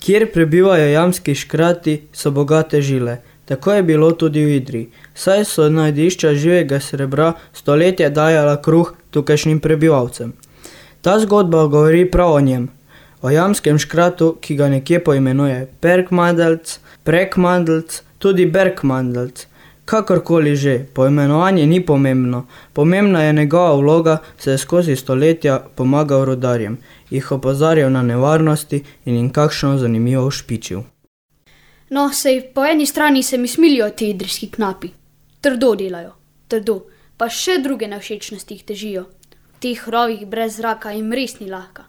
Kjer prebivajo jamski škrati, so bogate žile. Tako je bilo tudi v Idriji, saj so najdišča živega srebra stoletja dajala kruh tukajšnjim prebivalcem. Ta zgodba govori prav o njem, o jamskem škratu, ki ga nekje poimenuje Perkmandelc, Prekmandelc, tudi Berkmandelc. Kakorkoli že, poimenovanje ni pomembno, pomembna je njegova vloga, saj je skozi stoletja pomagal rudarjem, jih opozarjal na nevarnosti in jim kakšno zanimivo ušpičil. No, sej po eni strani se mi smilijo ti idrijski knapi. Trdo delajo, trdo, pa še druge nevšečnosti jih težijo. V teh rovih brez zraka jim res ni lahka.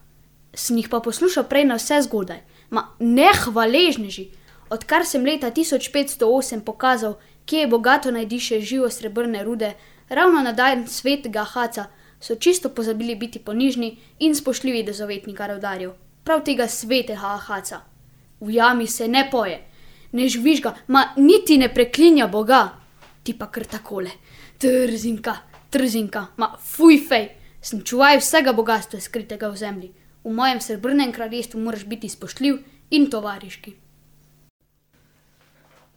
Sem jih pa poslušal prej na vse zgodaj, nehvaležneži, odkar sem leta 1508 pokazal, kje je bogato najdiše živo srebrne rude, ravno na dan svetega Ahaca, so čisto pozabili biti ponižni in spoštljivi do zavetnika rudarjev, prav tega svetega Ahaca. V jami se ne poje, ne žvižga, niti ne preklinja Boga. Ti pa kar takole, trzinka, fuj fej, sem čuvaj vsega bogatstva skritega v zemlji. V mojem srebrnem kraljestvu moraš biti spoštljiv in tovariški.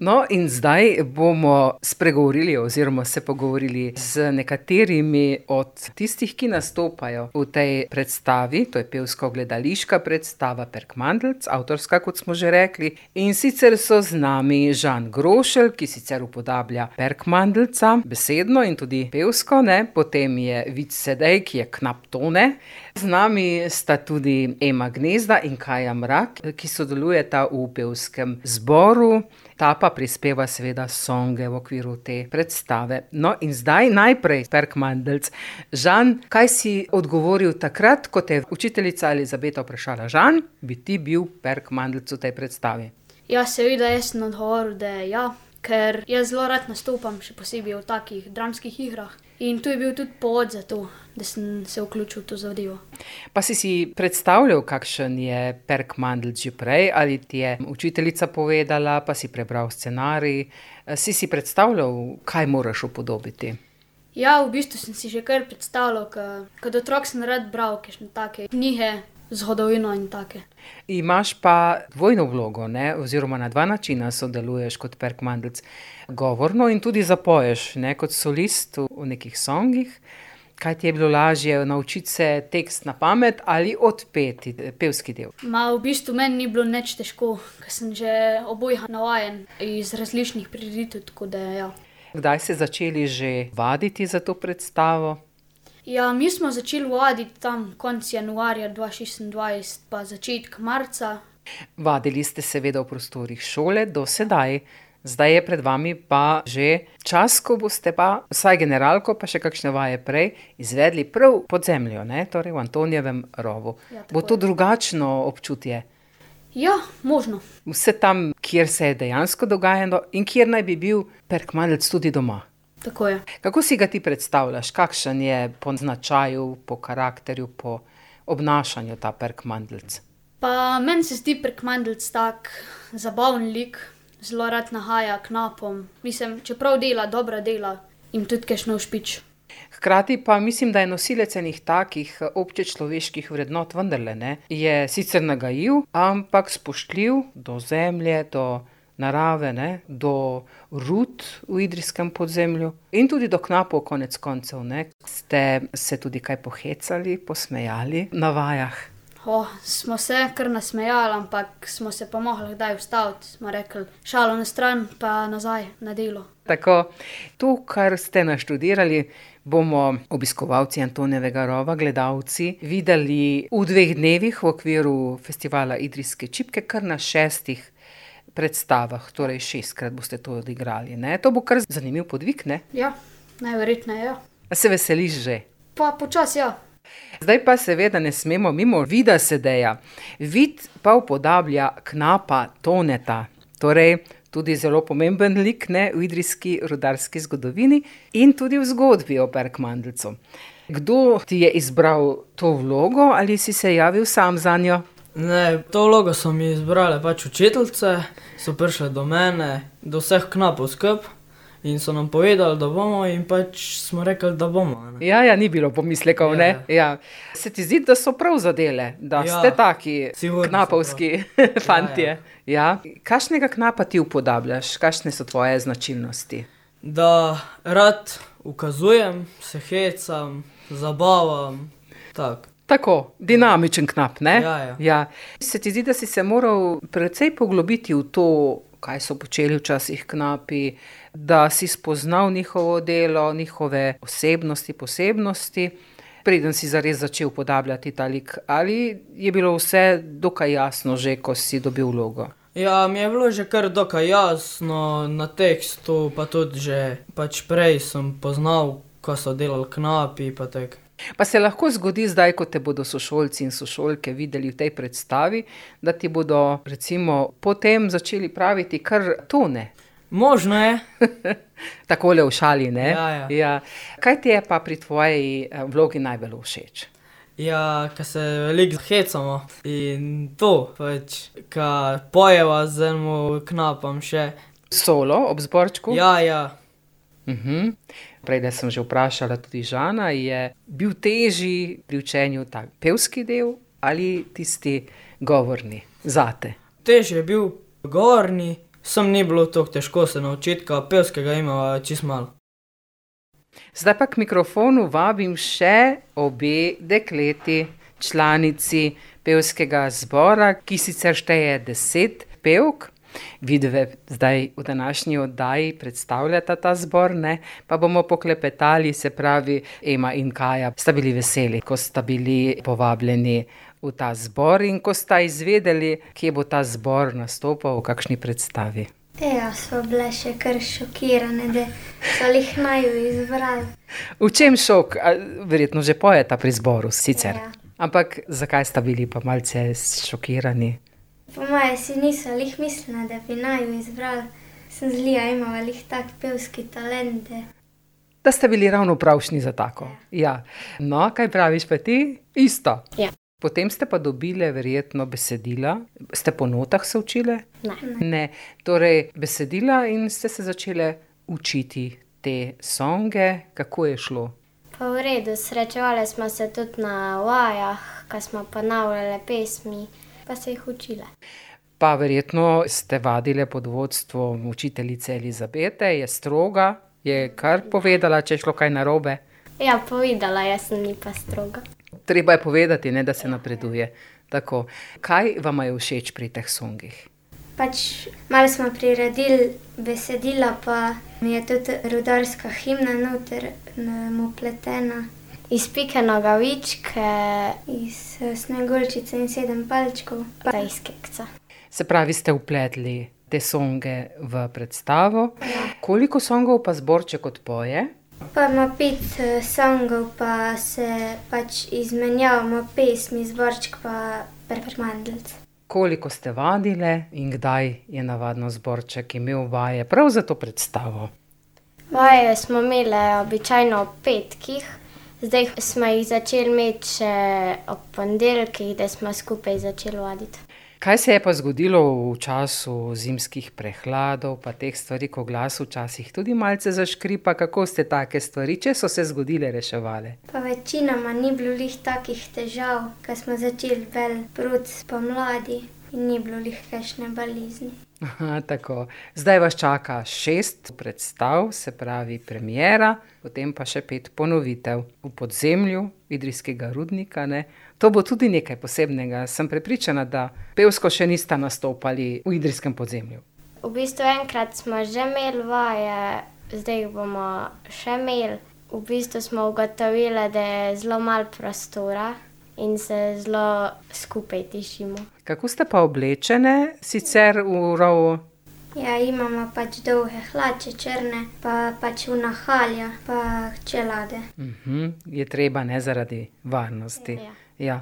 No, in zdaj bomo spregovorili oziroma se pogovorili z nekaterimi od tistih, ki nastopajo v tej predstavi. To je pevsko-gledališka predstava Perkmandelc, avtorska, kot smo že rekli. In sicer so z nami Žan Grošelj, ki sicer upodablja Perkmandelca besedno in tudi pevsko, ne? Potem je Vid Sedej, ki je knap Tone. Z nami sta tudi Ema Gnezda in Kaja Mrak, ki sodelujeta v pevskem zboru. Ta pa prispeva seveda songe v okviru te predstave. No in zdaj najprej Perkmandelc. Žan, kaj si odgovoril takrat, ko te je učiteljica Elizabeta vprašala? Žan, bi ti bil Perkmandelc v tej predstavi? Ja, seveda, jaz sem odgovoril, da ja, ker jaz zelo rad nastopam, še posebej v takih dramskih igrah. In tu je bil tudi povod za to, da sem se vključil v to zadevo. Pa si predstavljal, kakšen je Perkmandelc že prej, ali ti je učiteljica povedala, pa si prebral scenarij, si predstavljal, kaj moraš upodobiti? Ja, v bistvu sem si že kar predstavljal, kot otrok sem rad bral kakšne take knjige, zgodovino in take. Imaš pa dvojno vlogo, ne? Oziroma na dva načina sodeluješ kot Perkmandelc. Govorno in tudi zapoješ, ne? Kot solist v nekih songih. Kaj ti je bilo lažje, naučiti se tekst na pamet ali odpeti pevski del? V bistvu meni ni bilo nič težko, ker sem že obojih navajen iz različnih prireditev, tako da ja. Kdaj ste začeli že vaditi za to predstavo? Ja, mi smo začeli vaditi tam konec januarja 2026 pa začetek marca. Vadili ste seveda v prostorih šole do sedaj. Zdaj je pred vami pa že čas, ko boste pa, vsaj generalko, pa še kakšne vaje prej, izvedli prav pod zemljo, ne? Torej v Antonijevem rovu. Ja, bo to drugačno občutje? Ja, možno. Vse tam, kjer se je dejansko dogajalo in kjer naj bi bil Perkmandelc tudi doma. Tako je. Kako si ga ti predstavljaš? Kakšen je po značaju, po karakterju, po obnašanju ta Perkmandelc? Pa meni se zdi Perkmandelc tak zabaven lik, zelo rad nahaja knapom. Mislim, čeprav dela, dobra dela, jim tudi kakšno ušpič. Hkrati pa mislim, da je nosilec enih takih občečloveških vrednot vendarle, ne? Je sicer nagajiv, ampak spoštljiv do zemlje, do narave, ne? Do rud v idrijskem podzemlju in tudi do knapov konec koncev, ne? Ste se tudi kaj pohecali, posmejali na vajah? Smo se kar nasmejali, ampak smo se pa mogli kdaj ustaviti. Smo rekli, šalo na stran, pa nazaj na delo. Tako, to, kar ste naštudirali, bomo obiskovalci Antonijevega rova, gledalci, videli v 2 dnevih v okviru festivala Idrijske čipke, kar na 6 predstavah, torej 6-krat boste to odigrali, ne? To bo kar zanimiv podvig, ne? Ja, najverjetneje, ja. A se veseliš že? Pa počas, ja. Zdaj pa seveda ne smemo mimo Vida Sedeja. Vid pa upodablja knapa Toneta, torej tudi zelo pomemben lik, ne, v idrijski rudarski zgodovini in tudi v zgodbi o Perkmandelcu. Kdo ti je izbral to vlogo ali si se javil sam zanjo? Ne, to vlogo so mi izbrale pač učiteljice, so prišle do mene, do vseh knapov skup in so nam povedali, da bomo in pač smo rekli, da bomo. Ne. Ja, ni bilo pomislekov, ne? Ja. Se ti zdi, da so prav zadele, da ste taki sigurno so knapovski fantje? Ja. Kakšnega knapa ti upodabljaš? Kakšne so tvoje značilnosti? Da rad ukazujem, se hecam, zabavam, tako. Tako, dinamičen knap, ne? Ja. Se ti zdi, da si se moral precej poglobiti v to, kaj so počeli včasih knapi, da si spoznal njihovo delo, njihove osebnosti, posebnosti, preden si zares začel upodabljati ta lik, ali je bilo vse dokaj jasno že, ko si dobil vlogo? Ja, mi je bilo že kar dokaj jasno na tekstu, pa tudi že pač prej sem poznal, ko so delali knapi, pa tako. Pa se lahko zgodi zdaj, ko te bodo sošolci in sošolke videli v tej predstavi, da ti bodo recimo potem začeli praviti kar tone. Možno je. Takole v šali, ne? Ja. Kaj ti je pa pri tvoji vlogi najbolj všeč? Ja, ko se veliko hecamo in to, pač, ko pojeva z enim knapom še. Solo ob zborčku? Ja. Prej, da sem že vprašala tudi Žana, je bil težji pri učenju tak pevski del ali tisti govorni zate? Težji je bil govorni, sem ni bilo tako težko se naučiti, ko pevskega imava čisto malo. Zdaj pa k mikrofonu vabim še obe dekleti, članici pevskega zbora, ki sicer šteje 10 pevk. Vidve zdaj v današnji oddaji predstavljata ta zbor, ne? Pa bomo poklepetali, se pravi, Ema in Kaja sta bili veseli, ko sta bili povabljeni v ta zbor in ko sta izvedeli, kje bo ta zbor nastopal, v kakšni predstavi. Ja, smo bile še kar šokirane, da so jih naju izbrali. V čem šok? Verjetno že pojeta pri zboru sicer. Ja. Ampak zakaj sta bili pa malce šokirani? Po moje si niso lih mislila, da bi naju izbrali. Sem zlija imala lih tak pevski talente. Da ste bili ravno pravšni za tako. Ja. No, kaj praviš pa ti? Isto. Ja. Potem ste pa dobile verjetno besedila. Ste po notah se učile? Ne. Torej besedila in ste se začele učiti te songe. Kako je šlo? Pa v redu, srečevali smo se tudi na vajah, ko smo ponavljale pesmi, pa se jih učile. Pa verjetno ste vadile pod vodstvom učiteljice Elizabete, je stroga, je kar povedala, če je šlo kaj narobe. Ja, povedala, jaz sem ni pa stroga. Treba je povedati, ne, da se napreduje. Tako. Kaj vama je všeč pri teh songih? Pač malo smo priredili besedila, pa mi je tudi rudarska himna noter upletena. Iz Pike Nogavičke, iz Sneguljčice in 7 palčkov, pa iz Kekca. Se pravi, ste vpletli te songe v predstavo. Ja. Koliko songov pa zborček odpoje? Pa ima 5 songov, pa se pač izmenjavamo pesmi, zborček pa Perkmandeljc. Koliko ste vadile in kdaj je navadno zborček imel vaje prav za to predstavo? Vaje smo imeli običajno ob petkih, zdaj smo jih začeli imeti še ob ponedeljkih, da smo skupaj začeli vaditi. Kaj se je pa zgodilo v času zimskih prehladov, pa teh stvari, ko glas včasih tudi malce zaškripa? Kako ste take stvari, če so se zgodile, reševali? Pa večinoma ni bilo lih takih težav, ko smo začeli bolj prut pomladi in ni bilo lih kakšne bolezni. Aha, tako. Zdaj vas čaka 6 predstav, se pravi premiera, potem pa še 5 ponovitev v podzemlju Idrijskega rudnika, ne? To bo tudi nekaj posebnega. Sem prepričana, da pevsko še nista nastopali v idrijskem podzemlju. V bistvu enkrat smo že imeli vaje, zdaj bomo še imeli. V bistvu smo ugotovili, da je zelo malo prostora in se zelo skupaj tišimo. Kako ste pa oblečene sicer v rovu? Ja, imamo pač dolge hlače črne, pa pač unahalja, pa čelade. Je treba, ne, zaradi varnosti. Ja. Ja.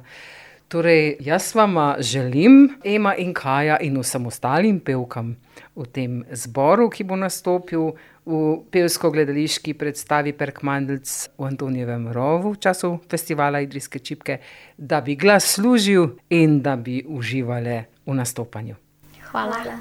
Torej, jaz vama želim, Ema in Kaja in vsem ostalim pevkam v tem zboru, ki bo nastopil v pevsko-gledališki predstavi Perkmandeljc v Antonijevem rovu v času festivala Idrijske čipke, da bi glas služil in da bi uživale v nastopanju. Hvala.